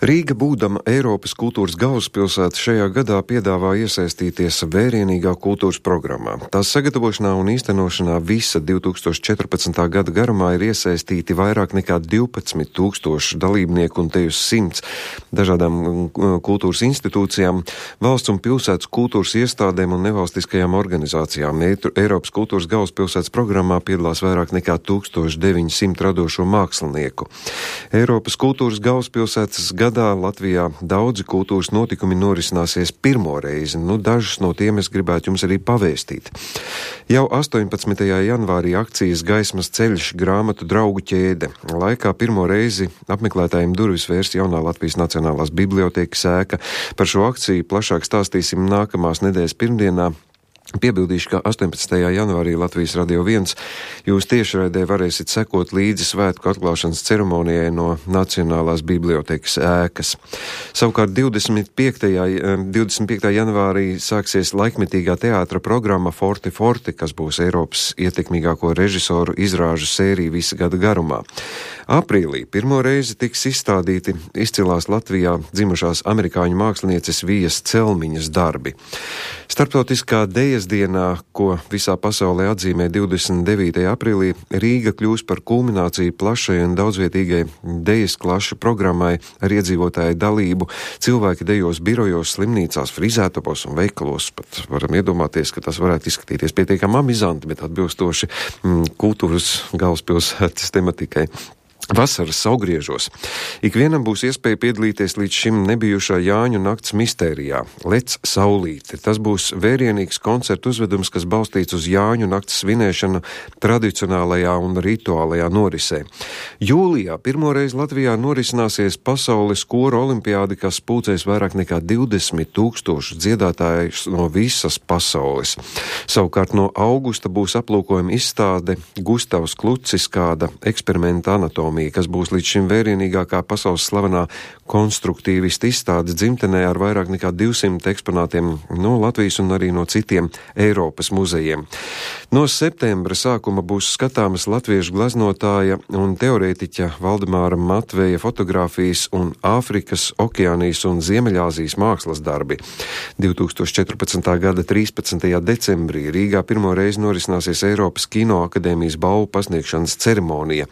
Rīga, būdama Eiropas kultūras galvaspilsēta, šajā gadā piedāvā iesaistīties vērienīgā kultūras programmā. Tās sagatavošanā un īstenošanā visa 2014. gada garumā ir iesaistīti vairāk nekā 12,000 dalībnieku un te uz 100 dažādām kultūras institūcijām, valsts un pilsētas kultūras iestādēm un nevalstiskajām organizācijām. Eiropas kultūras galvaspilsētas programmā piedalās vairāk nekā 1900 radošo mākslinieku. Eiropas kultūras galvaspilsētas gadā Latvijā daudzi kultūras notikumi norisināsies pirmo reizi. Dažus no tiem es gribētu jums arī pavēstīt. Jau 18. janvārī akcijas Gaismas ceļš grāmatu draugu ķēde. Laikā pirmo reizi apmeklētājiem durvis vērs jaunā Latvijas Nacionālās bibliotēkas ēka. Par šo akciju plašāk stāstīsim nākamās nedēļas pirmdienā. Piebildīšu, ka 18. janvārī Latvijas Radio 1 jūs tiešraidē varēsiet sekot līdzi svētku atklāšanas ceremonijai no Nacionālās bibliotēkas ēkas. Savukārt 25. janvārī sāksies laikmetīgā teātra programma Forte Forte, kas būs Eiropas ietekmīgāko režisoru izrāžu sērija visa gada garumā. Aprīlī pirmo reizi tiks izstādīti izcilās Latvijā dzimušās amerikāņu mākslinieces Vijas Celmiņas darbi. Starptautiskā dejas dienā, ko visā pasaulē atzīmē 29. aprīlī, Rīga kļūs par kulmināciju plašai un daudzvietīgai dejas klašu programmai ar iedzīvotāju dalību. Cilvēki dejos birojos, slimnīcās, frizētavos un veikalos. Pat varam iedomāties, ka tas varētu izskatīties pietiekami amizanti, bet atbilstoši kultūras galvaspilsētas tematikai. Vasaras saugriežos. Ikvienam būs iespēja piedalīties līdz šim nebijušā Jāņu nakts mistērijā Lec saulīte. Tas būs vērienīgs koncertu uzvedums, kas balstīts uz Jāņu nakts svinēšanu tradicionālajā un rituālajā norisē. Jūlijā pirmoreiz Latvijā norisināsies pasaules koru olimpiādi, kas pulcēs vairāk nekā 20,000 dziedātājus no visas pasaules. Savukārt no augusta būs aplūkojuma izstāde Gustavs Klucis, kāda eksperimenta anatomija, kas būs līdz šim vērienīgākā pasaules slavenā konstruktīvista izstāde dzimtenē ar vairāk nekā 200 eksponātiem no Latvijas un arī no citiem Eiropas muzejiem. No septembra sākuma būs skatāmas latviešu gleznotāja un teorētiķa Valdemāra Matveja fotogrāfijas un Āfrikas, Okeānijas un Ziemeļāzijas mākslas darbi. 2014. gada 13. decembrī Rīgā pirmo reizi norisināsies Eiropas Kino akadēmijas balvu pasniegšanas ceremonija.